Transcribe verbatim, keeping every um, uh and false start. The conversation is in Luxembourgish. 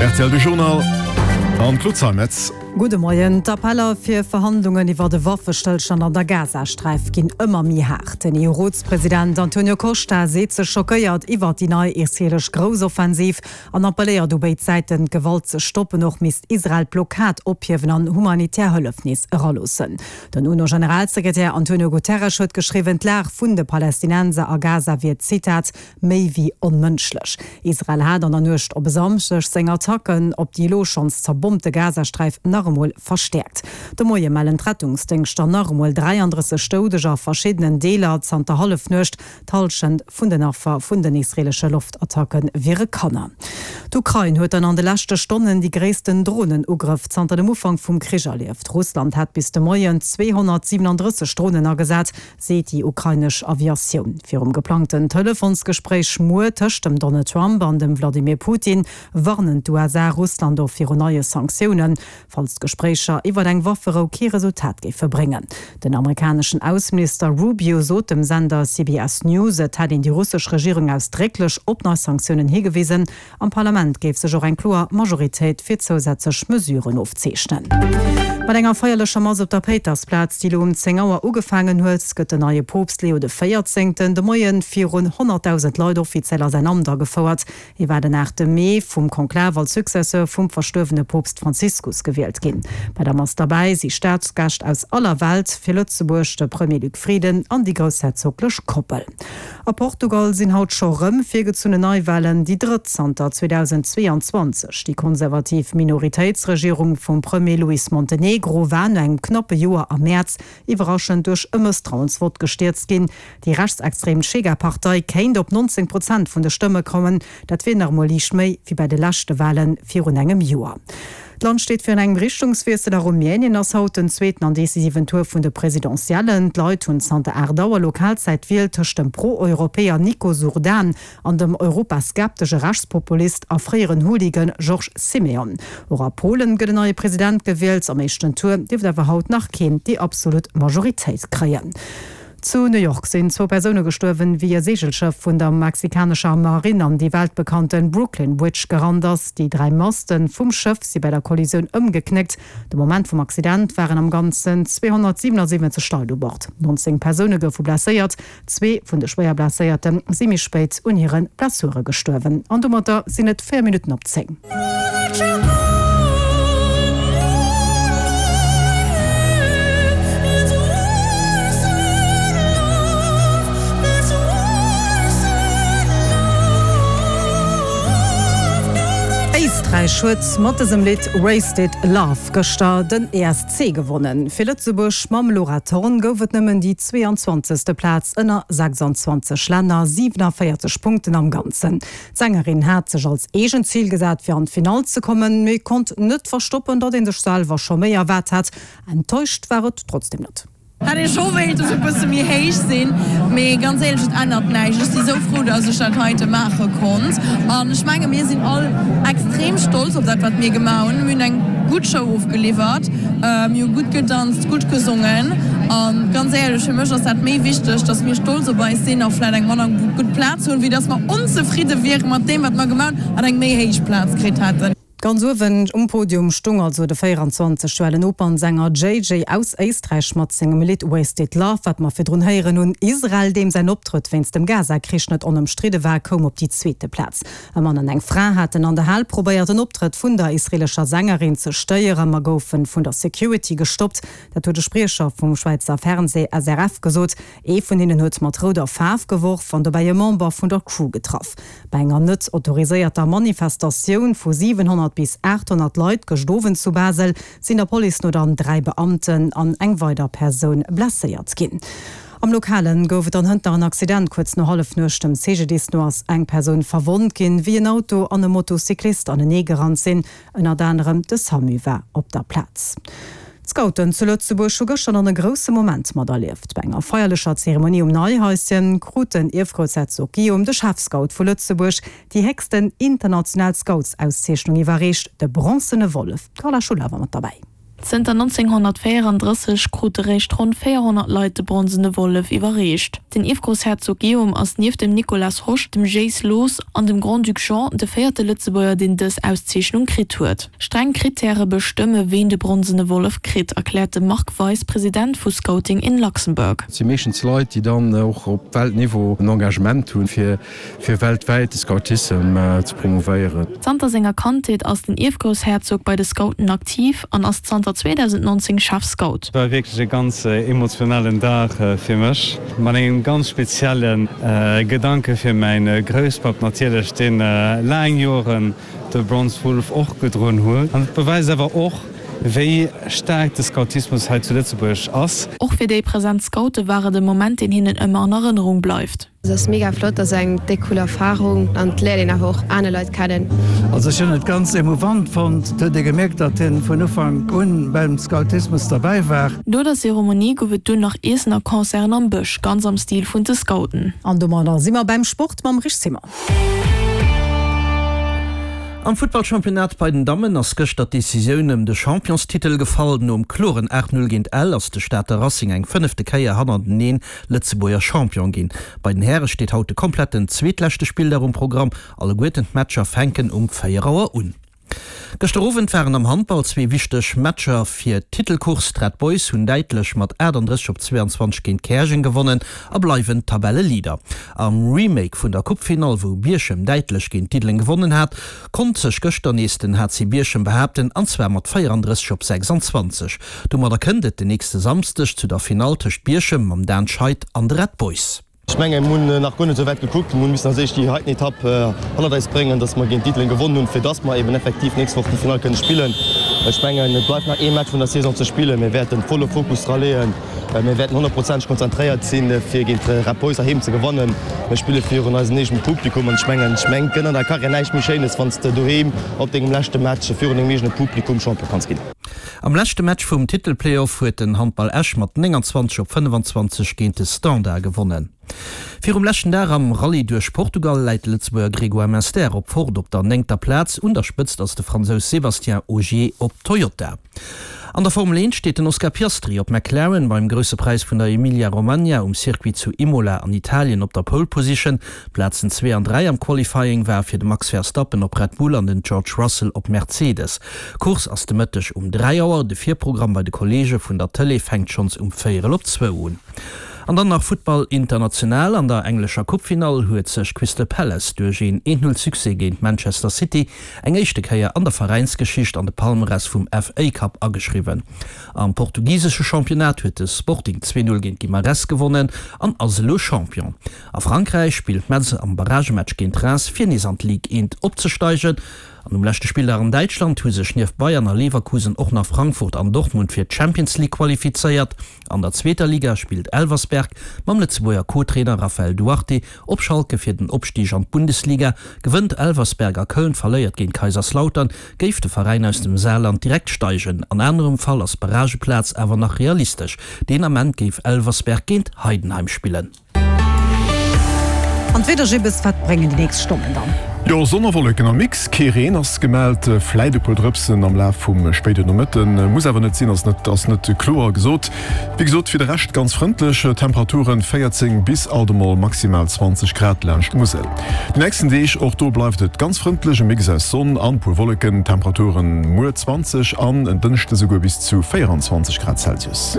R T L de Journal an d'Claude Zeimetz. Gudde Moien. D'Appeller fir Verhandlungen iwwer de Waffestëllstand an der Gazasträif ginn ëmmer méi haart. Den E U-Rotspresident Antonio Costa seet sech schockéiert iwwer déi nei israeelesch Groussoffensiv an appelléiert u béid Säiten, d'Gewalt ze stoppen. Och misst Israel d'Blockad ophiewen an humanitär Hëllef nees eraloossen. Den UNO-Generalsekretär Antonio Guterres huet geschriwwen, d'Lag vun de Palästinenser a Gaza wier, Zitat, méi wéi onmënschlech. Israel hat an der Nuecht op e Samschdeg seng Attacken op déi elo schonns zerbombte Gazasträif nach emol verstäerkt. De Moie mellen d'Rettungsdéngschter nach emol dräiandrësseg Doudeger a verschiddenen Deeler zanter Hallefnuecht. D'Hallschent vun den Affer vun den israeelesche Loftattacke wiere Kanner. D'Ukrain huet dann an de leschte Stonnen déi gréissten Dronenugrëff zanter dem Ufank vum Krich erlieft. Russland hätt bis de Moien zweehonnertsiwenandrësseg Dronen agesat, seet déi ukrainesch Aviatioun. Virum geplangten Telefonsgespréich muer tëscht dem Donald Trump an dem Wladimir Putin warnen d'U S A Russland och virun neie Sanktiounen, falls d'Gespréicher iwwer eng Wafferou kee Resultat géife bréngen. Den amerikaneschen Ausseminister Rubio sot dem Sender C B S News, et hätt een déi russesch Regierung ausdrécklech op nei Sanktiounen higewisen. Am Parlament géif sech och eng kloer Majoritéit fir zousätzlech Mesuren ofzeechnen. Mat enger feierlecher Mass op der Péitersplaz, déi elo um zéng Auer ugefaangen huet, gëtt den neie Poopst Leo de Véierzéngten de Moie virun honnertdausend Leit offiziell a säin Amt agefouert. Hie war den aachte Mee vum Konklav als Successeur vum verstuerwene Poopst Franziskus gewielt ginn. Bei der Mass derbäi si Staatsgäscht aus aller Welt, fir Lëtzebuerg de Premier Luc Frieden an déi groussherzoglech Koppel. A Portugal sinn haut scho rëm virgezunnen Neiwalen, déi drëtt zanter zweedausendzweeanzwanzeg. Déi konservativ Minoritéitsregierung vum Premier Luís Montenegro war no engem knappe Joer am Mäerz iwwerraschend duerch e Mësstrauensvott gestierzt ginn. Déi rechtsextrem Chega-Partei kéint op nonzéng Prozent vun de Stëmme kommen, dat wier nach emol liicht méi wéi bei de leschte Wale virun engem Joer. D'Land steet virun engem Richtungswiessel. A Rumänien ass haut den zweeten an decisiven Tour vun de Presidentiellen. D'Leit hunn zanter aacht Auer Lokalzäit d'Wiel tëscht dem Pro-Europäer Nicusor Dan an dem europaskeptesche Rechtspopulist a fréieren Hooligan George Simion. Och a Polen gëtt en neie President gewielt. Am éischten Tour dierft awer haut nach keen déi absolut Majoritéit kréien. Zu New York sinn zwou Persoune gestuerwen, wéi e Seegelschëff vun der mexikanescher Marinn an déi weltbekannte Brooklyn Bridge gerannt ass. Déi dräi Maste vum Schëff si bei der Kollisioun ëmgeknéckt. De Moment vum Accident waren am Ganzen zweehonnertsiwenasiwwenzeg Leit u Bord. nonzéng Persoune goufe blesséiert, zwee vun de schwéier Blesséierte si méi spéit un hire Blessure gestuerwen. An domatter sinn et véier Minutten op zéng. Éisträich huet mat dësem Lidd Wasted Love gëschter den E S C gewonnen. Fir Lëtzebuerg mam Laura Thorn gouf et nëmmen déi zweeanzwanzegste. Plaz ënner sechsanzwanzeg Länner, siewenenvéierzeg Punkten am Ganzen. D'Sängerin hat sech als eegent Zil gesat, fir an d'Finall ze kommen, mee konnt net verstoppen, datt ee sech selwer scho méi erwaart hat. Enttäuscht war et trotzdeem net. Hätt ech scho wéilt, dass e bësse méi héich sinn, mee ganz éierlech, et ännert näischt. Ech si sou frou, dass ech dat heite maache konnt an ech menge mir sinn all extrem stolz op dat, wat mir gemaach hunn. Mir hunn eng gutt Show ofgeliwwert, mir hu gutt gedanzt, gutt gesongen an ganz éierlech, fir mech ass dat méi wichteg, dass mir stolz op eis sinn a vläicht eng manner gutt Plaz hunn, wéi dass mer onzefridde wiere mat deem, wat mer gemaach hunn an eng méi héich Plaz kritt hätten. Ganz uewen um Podium stung also de véieranzwanzeg joer ale Opernsänger J J aus Éisträich mat sengem Lidd Wasted Love, wat mer virdrun héieren hunn. Israel, deem säin Optrëtt wéinst dem Gaza-Krich net onëmstridde war, koum op déi zweete Plaz. E Mann an eng Fra haten an der Hal probéiert, den Optrëtt vun der israeelescher Sängerin ze stéieren, ma goufe vun der Security gestoppt. Dat huet e Spriecher vum Schwäizer Fernsee S R F gesot. Ee vun hinnen huet mat rouder Faarf geworf an dobäi e Member vun der Crew getraff. Bei enger net autoriséierter Manifestatioun vu siwenhonnert bis aathonnert Leit gëscht Owend zu Basel sinn der Police no dann dräi Beamten an eng weider Persoun blesséiert ginn. Am Lokalen gouf et dann hënt nach en Accident kuerz no Hallefnuecht. Dem C G D I S no ass eng Persoun verwonnt ginn, wéi en Auto an e Motocyclist anenee gerannt sinn. Ënnert anerem de SAMU war op der Plaz. D'Scouten zu Lëtzebuerg hu gëschter dann e grousse Moment materlieft. Bei enger feierlecher Zeremonie um Neihaischen krut den Ierfgroussherzog Guillaume, de Chefscout vu Lëtzebuerg, déi héchsten international Scoutsauszeechnung iwwerreecht, de Bronzene Wollef. D'Carla Schuller war mat derbäi. Zënter nonzénghonnertvéierandrësseg krute réischt ronn véierhonnert Leit de Bronzene Wollef iwwerreecht. Den Ierfgroussherzog Guillaume ass nieft dem Nicolas Hosch, dem Gilles Loos an dem Grand-Duc Jean de véierte Lëtzebuerger, deen dës Auszeechnung kritt huet. Streng Krittäre bestëmme ween de Bronzene Wollef kritt, erkläert de Marc Weis, President vu Scouting in Luxembourg. Et si meeschtens Leit, déi dann och op Weltniveau en Engagement hunn, fir fir weltwäit de Scoutissem ze promouvéieren. Zanter senger Kandheet ass den Ierfgroussherzog bei de Scouten aktiv an ass zanter zweedausendnonzéng Chefscout. Et war wierklech e ganz emotionalen Dag fir mech, mat engem ganz spezielle Gedanke fir mäin Grousspapp natierlech, deen laang Joren de Bronze Wolf och gedroen huet. An et beweist awer och, wéi staark de Scoutismus hei zu Lëtzebuerg ass. Och fir déi present Scoute war et e Moment, deen hinnen ëmmer an Erënnerung bleift. Et ass mega flott, ass eng déck cool Erfarung an et léiert een awer och aner Leit kennen. Also ech hunn et ganz emouvant fonnt, et huet ee gemierkt, datt hien vun Ufank un beim Scoutismus derbäi war. No der Zeremonie gouf et dunn nach Iessen a Concerten am Bësch, ganz am Stil vun de Scouten. An domadder si mer beim Sport mam Rich Simon. Am Futtballchampionnat bei den Dammen ass gëschter d'Decisioun ëm de Championstitel gefall. Nom kloren aacht Null géint Ell ass de Stater Racing eng fënnefte Kéier hannerteneen Lëtzebuerger Champion ginn. Bei den Häre steet haut de kompletten zweetleschte Spilldag um Programm. Alleguerten d'Matcher fänken um véier Auer un. Gëschter Owend waren am Handball zwee wichteg Matcher fir d'Titelcourse. D'Red Boys hunn däitlech mat achtandrësseg op zweeanzwanzeg géint Käerjeng gewonnen a bleiwen Tabelleleader. Am Remake vun der Coupefinall, wou Bierchem däitlech géint Diddeleng gewonnen hat, konnt sech gëschter nees den H C Bierchem behaapten an zwar mat véierandrësseg op sechsanzwanzeg. Domadder kënnt et den nächste Samsdeg zu der Finall tëscht Bierchem mam Dan Scheid an de Red Boys. Ech mengen, mir hunn nach guer net esou wäit gekuckt. Mir hu missen als éischt déi heiten Etapp hannert eis bréngen, dass mer géint Diddeleng gewonnen hunn, fir dass mer eben effektiv d'nächst Woch déi Finall kënne spillen. Ech mengen, et bleift nach ee Match vun der Saison ze spillen. Mir wäerten volle Fokus dra leeën. Mir wäerten honnertprozenteg konzentréiert sinn, fir géint Red Boys heiheem ze gewannen. Mir spille virun eisem eegene Publikum an ech mengen, ech mengen, et gëtt an der Karriär näischt méi Schéines, wann s de doheem op dengem leschte Match virun dengem eegene Publikum Champion kanns ginn. Am leschte Match vum Titel-Playoff huet den Handball Esch mat nénganzwanzeg op fënnefanzwanzeg géint de Standard gewonnen. Virum leschten Dag am Rallye duerch Portugal läit de Lëtzebuerger Grégoire Munster op Ford op der néngter Plaz. Un der Spëtzt ass de Fransous Sébastien Ogier op Toyota. An der Formel eent steet den Oscar Piastri op McLaren beim Grousse Präis vun der Emilia-Romagna um Circuit zu Imola an Italien op der Pole Position. D'Plazen zwee an dräi am Qualifying ware fir de Max Verstappen op Red Bull an den George Russell op Mercedes. D'Course ass de Mëtteg um dräi Auer, de Virprogramm bei de Kolleege vun der Tëlee fänkt schonns um véierel op zwou un. An dann nach Futtball international, An der englescher Coupefinall huet sech Crystal Palace duerch een Eent-Null-Succès géint Manchester City eng éischte Kéier an der Veräinsgeschicht an de Palmarès vum F A Cup ageschriwwen. Am portugisesche Championnat huet de Sporting zwee Null géint Guimarães gewonnen an ass elo Champion. A Frankräich spillt Metz am Barragematch géint Reims fir nees an d'Ligue eent opzesteigen. An um leschte Spilldag an Däitschland hu sech nieft Bayern a Leverkusen och nach Frankfurt an Dortmund fir d'Champions League qualifizéiert. An der zweeter Liga spillt Elversberg mam Lëtzebuerger Co-Trainer Raphael Duarte op Schalke fir den Opstig an d'Bundesliga. Gewënnt Elversberg a Köln verléiert géint Kaiserslautern, géif de Veräin aus dem Saarland direkt steigen. An anerem Fall ass d'Barrageplaz awer nach realistesch. Deen Ament géif Elversberg géint Heidenheim spillen. An d'Wieder, Jibbes, wat bréngen déi nächst Stonnen dann? Jo, Sonn a Wolleken am Mix, kee Reen ass gemellt, vläit e puer Drëpsen am Laf vum spéiden Nomëtten, muss awer net sinn, ass net ass net kloer gesot. Wéi gesot, fir de Rescht ganz frëndlech, Temperaturen véierzéng bis alt emol maximal zwanzeg Grad laanscht d'Musel. Déi nächsten Deeg, och do bleift et ganz frëndlech, e Mix aus Sonn an puer Wolleken, Temperaturen muer zwanzeg an en Dënschde souguer bis zu véieranzwanzeg Grad Celsius.